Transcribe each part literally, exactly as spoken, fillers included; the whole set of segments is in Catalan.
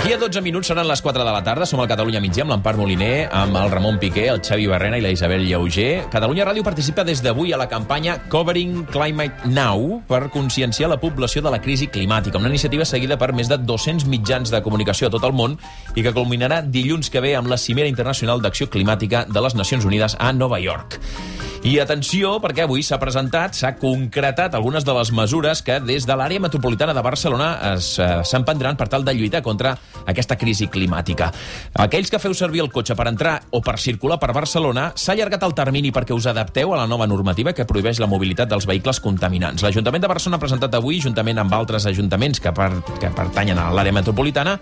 D'aquí a dotze minuts seran les quatre de la tarda. Som al Catalunya Migdia amb l'Empar Moliner, amb el Ramon Piqué, el Xavi Barrena i la Isabel Lleuger. Catalunya Ràdio participa des d'avui a la campanya Covering Climate Now per conscienciar la població de la crisi climàtica, una iniciativa seguida per més de dos-cents mitjans de comunicació a tot el món i que culminarà dilluns que ve amb la Cimera Internacional d'Acció Climàtica de les Nacions Unides a Nova York. I atenció, perquè avui s'ha presentat, s'ha concretat algunes de les mesures que des de l'àrea metropolitana de Barcelona s'emprendran per tal de lluitar contra aquesta crisi climàtica. Aquells que feu servir el cotxe per entrar o per circular per Barcelona, s'ha allargat el termini perquè us adapteu a la nova normativa que prohibeix la mobilitat dels vehicles contaminants. L'Ajuntament de Barcelona ha presentat avui, juntament amb altres ajuntaments que, per, que pertanyen a l'àrea metropolitana,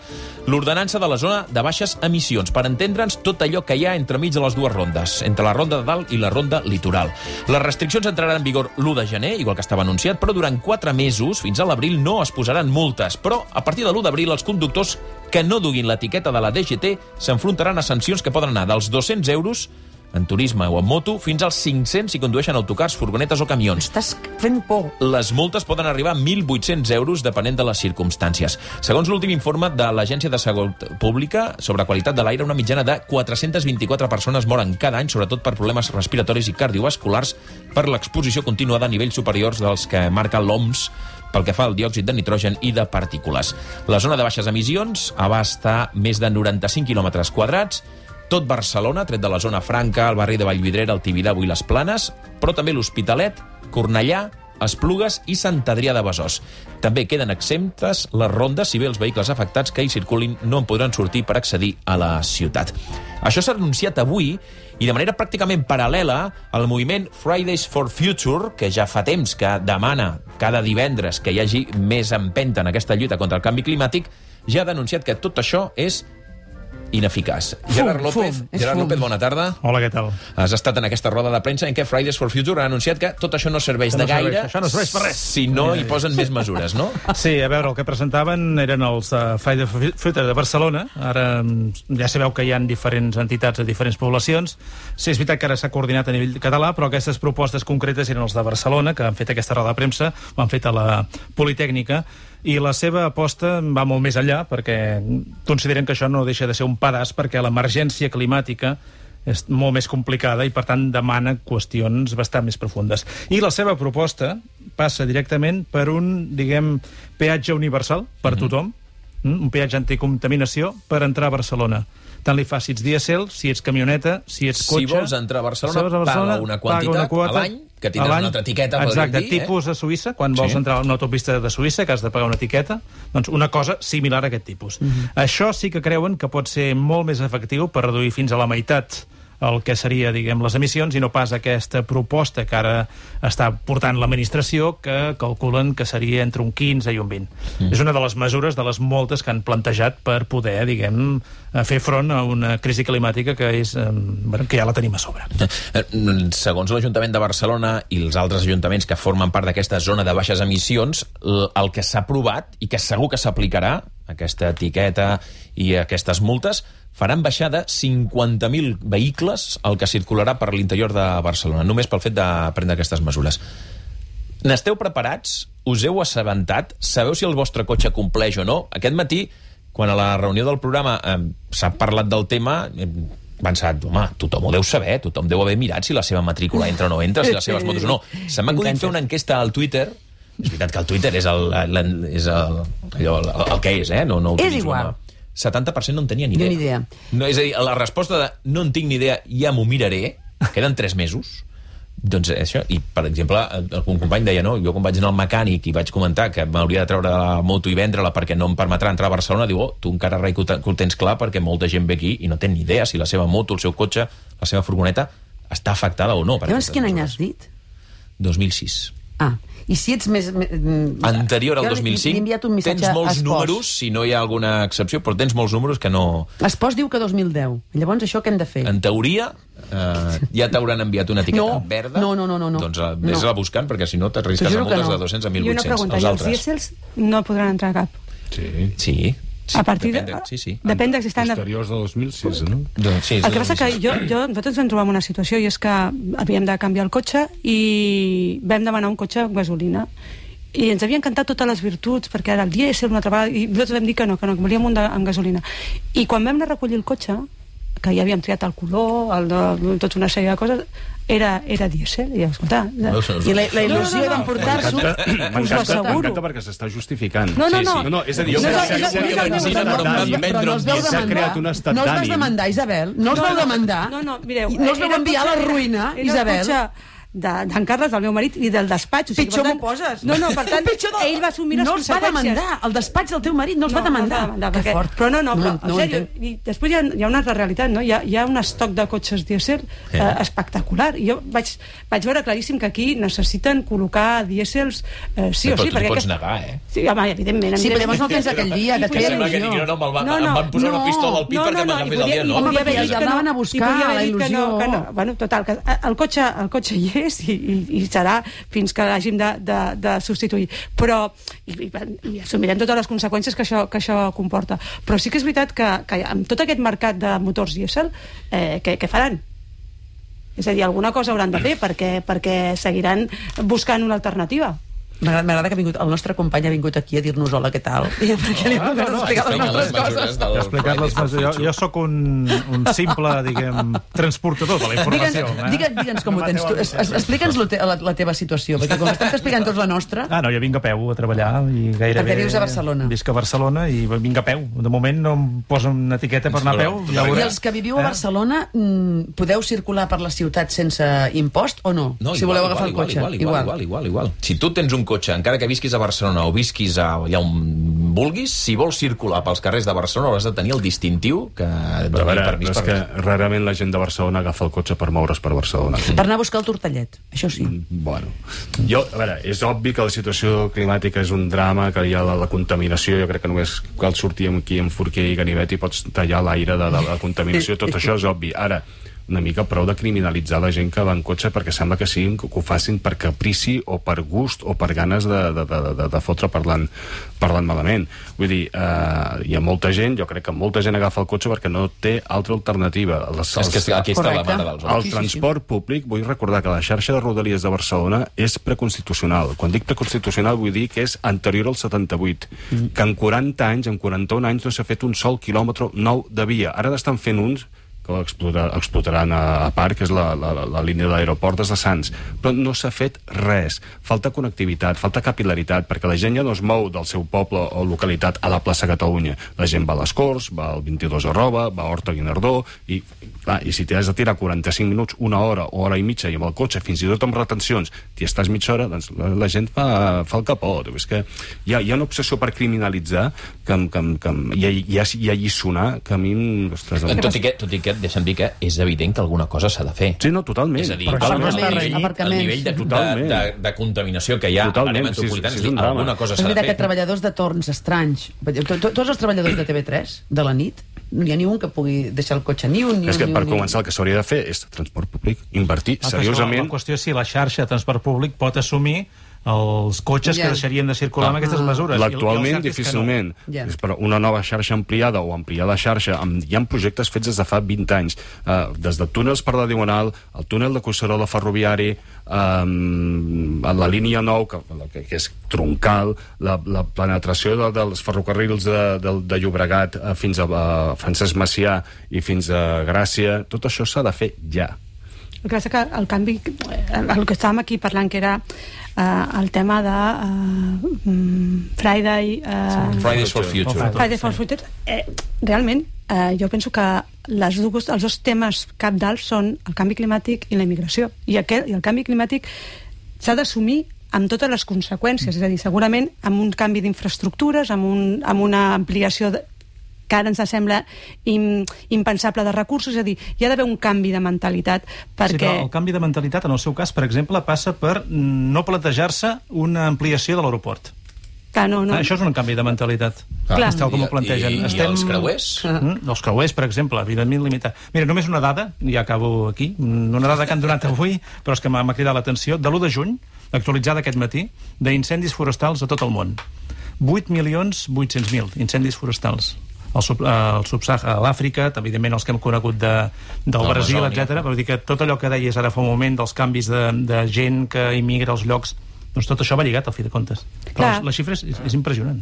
l'ordenança de la zona de baixes emissions, per entendre'ns tot allò que hi ha entremig de les dues rondes, entre la ronda de dalt i la ronda litoral. Les restriccions entraran en vigor l'u de gener, igual que estava anunciat, però durant quatre mesos, fins a l'abril, no es posaran multes. Però, a partir de l'u d'abril, els conductors que no duguin l'etiqueta de la D G T s'enfrontaran a sancions que poden anar dels dos-cents euros en turisme o en moto, fins als cinc-cents si condueixen autocars, furgonetes o camions. Estàs fent por. Les multes poden arribar a mil vuit-cents euros, depenent de les circumstàncies. Segons l'últim informe de l'Agència de Salut Pública sobre qualitat de l'aire, una mitjana de quatre-cents vint-i-quatre persones moren cada any, sobretot per problemes respiratoris i cardiovasculars, per l'exposició continuada a nivells superiors dels que marca l'O M S pel que fa al diòxid de nitrogen i de partícules. La zona de baixes emissions abasta més de noranta-cinc quilòmetres quadrats, tot Barcelona, tret de la zona franca, el barri de Vallvidrera, el Tibidabo i les Planes, però també l'Hospitalet, Cornellà, Esplugues i Sant Adrià de Besòs. També queden exemptes les rondes si bé els vehicles afectats que hi circulin no en podran sortir per accedir a la ciutat. Això s'ha anunciat avui i de manera pràcticament paral·lela al moviment Fridays for Future, que ja fa temps que demana cada divendres que hi hagi més empenta en aquesta lluita contra el canvi climàtic, ja ha denunciat que tot això és ineficaç. Fum, Gerard López, fum, és Gerard fum. López, bona tarda. Hola, què tal? Has estat en aquesta roda de premsa en què Fridays for Future ha anunciat que tot això no serveix Que no de gaire serveix, això no serveix per res. si no hi posen més mesures, no? Sí, a veure, el que presentaven eren els uh, Fridays for Future de Barcelona. Ara mm, ja sabeu que hi ha diferents entitats de diferents poblacions. Sí, és veritat que ara s'ha coordinat a nivell català, però aquestes propostes concretes eren els de Barcelona, que han fet aquesta roda de premsa, ho han fet a la Politècnica, i la seva aposta va molt més enllà, perquè consideren que això no deixa de ser un pedaç, perquè l'emergència climàtica és molt més complicada i, per tant, demana qüestions bastant més profundes. I la seva proposta passa directament per un, diguem, peatge universal per mm-hmm. tothom, un peatge anticontaminació per entrar a Barcelona. Tant li fa si ets dièsel, si ets camioneta, si ets cotxe... Si vols entrar a Barcelona, si a Barcelona paga una quantitat paga una quota, a l'any, que tindràs una altra etiqueta, exacte, dir, tipus eh? a Suïssa, quan sí. vols entrar a una autopista de Suïssa, que has de pagar una etiqueta, doncs una cosa similar a aquest tipus. Mm-hmm. Això sí que creuen que pot ser molt més efectiu per reduir fins a la meitat el que seria, diguem, les emissions, i no pas aquesta proposta que ara està portant l'administració, que calculen que seria entre un quinze i un vint. Mm. És una de les mesures, de les moltes que han plantejat per poder, diguem, fer front a una crisi climàtica que és, bueno, que ja la tenim a sobre. Segons l'Ajuntament de Barcelona i els altres ajuntaments que formen part d'aquesta zona de baixes emissions, el que s'ha aprovat i que segur que s'aplicarà, aquesta etiqueta i aquestes multes, faran baixar de cinquanta mil vehicles el que circularà per l'interior de Barcelona, només pel fet de prendre aquestes mesures. N'esteu preparats? Us heu assabentat? Sabeu si el vostre cotxe compleix o no? Aquest matí, quan a la reunió del programa eh, s'ha parlat del tema, he pensat, home, tothom ho deu saber, tothom deu haver mirat si la seva matrícula entra o no entra, si les seves motos o no. Se m'ha acudit fer una enquesta al Twitter. És veritat que el Twitter és el, el, és el, allò, el, el que és, eh? No, no és igual. setanta per cent no en tenia ni idea. Ni idea. No, és a dir, la resposta de no en tinc ni idea, ja m'ho miraré, queden tres mesos, doncs això, i per exemple, un company deia, no, jo quan vaig anar al mecànic i vaig comentar que m'hauria de treure la moto i vendre-la perquè no em permetrà entrar a Barcelona, diu, oh, tu encara rai que ho tens clar perquè molta gent ve aquí i no té ni idea si la seva moto, el seu cotxe, la seva furgoneta està afectada o no. Llavors, quin any has dit? dos mil sis. Ah, i si ets més... Anterior al dos mil cinc, tens molts números, si no hi ha alguna excepció, però tens molts números que no... Espòs diu que dos mil deu. Llavors, això què hem de fer? En teoria, eh, ja t'hauran enviat una etiqueta no, verda. No, no, no, no. Doncs uh, vés-la no. buscant, perquè si no t'arrisques a multes no. de dos-cents a mil vuit-cents. I una pregunta, i els dièsels no podran entrar a cap? Sí. Sí. Sí, a partir depèn de, de, sí, sí. depèn de si estan... Posteriors de dos mil sis, no? Doncs, sí, el que passa que jo, jo, nosaltres ens trobem una situació i és que havíem de canviar el cotxe i vam demanar un cotxe amb gasolina i ens havien cantat totes les virtuts, perquè era el dièsel una altra vegada, i nosaltres vam dir que no, que no, que volíem un de, amb gasolina. I quan vam anar a recollir el cotxe, que ja havíem triat el color, el de, tota una sèrie de coses, era, era dièsel, i escolta... I la, la il·lusió no, no, no. d'emportar-s'ho... M'encanta perquè s'està justificant. No, no, no. Sí, sí. no, no és a dir, jo no, crec no, que però no els veu s'ha creat un demandar. estat No els vas d'ànim. demandar, Isabel. No els vau demandar. No, no, mireu... No els vau enviar a la ruïna, Isabel. Era el cotxe d'en Carles, del meu marit, i del despatx. O sigui, Pitjor per m'ho poses. No, no, per tant, Pitjor de- ell va assumir les no els va conseqüències. demandar. El despatx del teu marit no els va demandar. No, no, Que perquè, fort. però no, no, però, No, no en ho sèrio, entenc. i després hi ha, hi ha una altra realitat, no? Hi ha, hi ha un estoc de cotxes dièsel eh, espectacular. I jo vaig, vaig veure claríssim que aquí necessiten col·locar dièsels eh, sí Però o sí. tu t'hi perquè pots aquest- negar, eh? Sí, home, evidentment. Sí, però evidentment. llavors no tens aquell dia, que et Que feia sembla que il·lusió. no, no, me'l van, No, no. em van posar una No. pistola al pit No, perquè no, no, m'agafés i el podia- dia. i No, Home, podia perquè haver ja dit que anaven no, a buscar i podia haver la dit que no, il·lusió. que no. Bueno, total, que el cotxe, el cotxe hi és i, i, i serà fins que l'hàgim de, de, de substituir. Però, i, i, i assumirem totes les conseqüències que això, que això comporta. Però sí que és veritat que, que amb tot aquest mercat de motors dièsel, eh, què, què faran? És a dir, alguna cosa hauran de fer perquè, perquè seguiran buscant una alternativa. M'agrada m'agrada que ha vingut, el nostre company ha vingut aquí a dir-nos hola, què tal? I perquè li hem no, no, explicat les nostres coses. He explicat les coses. Jo, jo sóc un, un simple, diguem, transportador de la informació. Digue'ns digue'ns, digue'ns com ho tens tu. Es- es- Explica'ns lo te, la, la teva situació, perquè com estem explicant tots la nostra... Ah, no, jo vinc a peu a treballar i gairebé... Perquè vius a Barcelona. Visc a Barcelona i vinc a peu. De moment no em posen una etiqueta per anar a peu. Ja I veuré. els que viviu a Eh? Barcelona, mm, podeu circular per la ciutat sense impost o no? No, si igual, voleu agafar igual, el cotxe. Igual, igual, igual, igual, igual. Si tu tens un cotxe, encara que visquis a Barcelona o visquis a, allà on vulguis, si vols circular pels carrers de Barcelona hauràs de tenir el distintiu que et Però a doni veure, permís és per... que rarament la gent de Barcelona agafa el cotxe per moure's per Barcelona. Per anar a buscar el tortellet, això sí. Bueno, jo, a veure, és obvi que la situació climàtica és un drama, que hi ha la, la contaminació, jo crec que només cal sortir aquí amb forquer i ganivet i pots tallar l'aire de, de la contaminació, tot això és obvi. Ara, una mica prou de criminalitzar la gent que va en cotxe perquè sembla que siguin, que ho facin per caprici o per gust o per ganes de, de, de, de, de fotre parlant, parlant malament. Vull dir, eh, hi ha molta gent, jo crec que molta gent agafa el cotxe perquè no té altra alternativa. Les, És que aquí està la mare dels el homes. transport públic, vull recordar que la xarxa de rodalies de Barcelona és preconstitucional. Quan dic preconstitucional vull dir que és anterior al setanta-vuit, mm. que en quaranta anys, en quaranta-un anys no s'ha fet un sol quilòmetre nou de via. Ara n'estan fent uns que explotar, explotaran a, a part, que és la, la, la línia de l'aeroport des de Sants. Però no s'ha fet res. Falta connectivitat, falta capil·laritat, perquè la gent ja no es mou del seu poble o localitat a la plaça Catalunya. La gent va a les Corts, va al vint-i-dos arroba, va a Horta Guinardó, i, clar, i si t'has de tirar quaranta-cinc minuts, una hora o hora i mitja, i amb el cotxe, fins i tot amb retencions, t'hi estàs mitja hora, doncs la, la gent fa, fa el capot. És que hi ha, hi ha una obsessió per criminalitzar que, que, que, i, i, i alliçonar que a mi... Ostres, el... Tot i que, tot i que deixa'm dir que és evident que alguna cosa s'ha de fer. Sí, no, totalment. És a dir, Però el, això no el, està nivell, renyit. el nivell de, de, Totalment. de, de contaminació que hi ha Totalment, a l'àrea metropolitana, sí, és sí, és dir, un drama. alguna cosa És s'ha de veritat que fer. treballadors de torns estranys, to- to- tots els treballadors de T V tres, de la nit, no hi ha ni un que pugui deixar el cotxe, ni un, ni un, És que ni per un, ni un. començar el que s'hauria de fer és transport públic, invertir La seriosament. qüestió, la qüestió és si la xarxa de transport públic pot assumir els cotxes Ja. que deixarien de circular amb Ah. aquestes mesures. I el- i el L'actualment, cert és que no. difícilment. Ja. És per una nova xarxa ampliada o ampliar la xarxa. Amb, hi ha projectes fets des de fa vint anys. Uh, des de túnels per la Diagonal, el túnel de Collserola ferroviari, um, la línia nou, que, que, que és troncal, la, la penetració de, dels ferrocarrils de, de, de Llobregat uh, fins a uh, Francesc Macià i fins a Gràcia. Tot això s'ha de fer ja. El que passa que el canvi, el que estàvem aquí parlant, que era uh, el tema de uh, Friday... Uh, Fridays for Future. Friday for Future. Eh, realment, eh, jo penso que les dues, els dos temes cabdals són el canvi climàtic i la immigració. I, aquest, i el canvi climàtic s'ha d'assumir amb totes les conseqüències. És a dir, segurament amb un canvi d'infraestructures, amb, un, amb una ampliació de, que ara ens sembla im, impensable de recursos, és a dir, hi ha d'haver un canvi de mentalitat perquè... Sí, però el canvi de mentalitat, en el seu cas, per exemple, passa per no plantejar-se una ampliació de l'aeroport. Que no, no. Ah, això és un canvi de mentalitat. Clar. És tal com ho plantegen. I, i, i els creuers? Mm, els creuers, per exemple, evidentment limitat. Mira, només una dada, ja acabo aquí, una dada que han donat avui, però és que m'ha cridat l'atenció, de l'u de juny, actualitzada aquest matí, d'incendis forestals a tot el món. vuit milions vuit-cents mil incendis forestals. El, sub, el subsahara, l'Àfrica, evidentment els que hem conegut de, del De Brasil, l'Amazònia. etcètera. Però dir que tot allò que deies ara fa un moment dels canvis de, de gent que immigra als llocs, Doncs tot això va lligat al fi de comptes. Però Clar. la xifra és, és impressionant.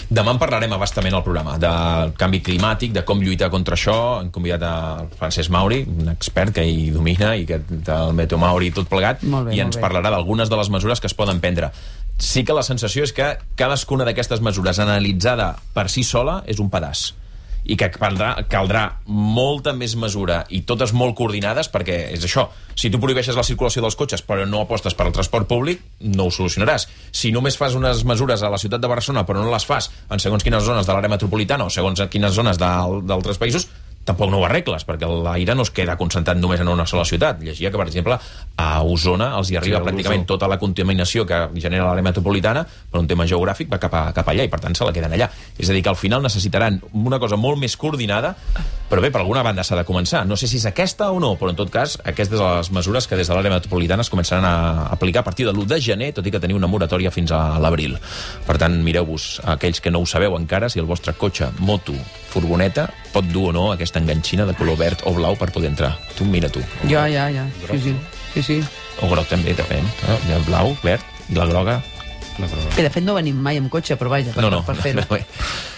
Demà en parlarem abastament al programa del canvi climàtic, de com lluitar contra això. Hem convidat a Francesc Mauri, un expert que hi domina i que el Meteo Mauri tot plegat, Molt bé, i molt ens bé. parlarà d'algunes de les mesures que es poden prendre. Sí que la sensació és que cadascuna d'aquestes mesures analitzada per si sola és un pedaç, i que caldrà, caldrà molta més mesura i totes molt coordinades, perquè és això, si tu prohibeixes la circulació dels cotxes però no apostes per al transport públic, no ho solucionaràs. Si només fas unes mesures a la ciutat de Barcelona però no les fas en segons quines zones de l'àrea metropolitana o segons quines zones d'altres països, tampoc no ho arregles, perquè l'aire no es queda concentrat només en una sola ciutat. Llegia que, per exemple, a Osona els hi arriba Sí, pràcticament tota la contaminació que genera l'àrea metropolitana, per un tema geogràfic va cap, a, cap allà, i per tant se la queden allà. És a dir, que al final necessitaran una cosa molt més coordinada, però bé, per alguna banda s'ha de començar. No sé si és aquesta o no, però en tot cas, aquestes són les mesures que des de l'àrea metropolitana es començaran a aplicar a partir de l'u de gener, tot i que teniu una moratòria fins a l'abril. Per tant, mireu-vos, aquells que no ho sabeu encara, si el vostre cotxe, moto, furgoneta, pot dur o no aquesta enganxina de color verd o blau per poder entrar. Tu, mira tu. Ja, ja, ja. Sí, sí. sí, sí. O groc també, depèn. No? Hi ha el blau, verd, i la groga... Que de fet no venim mai amb cotxe, però vaja, per, No, no, per fer-ho. no, no.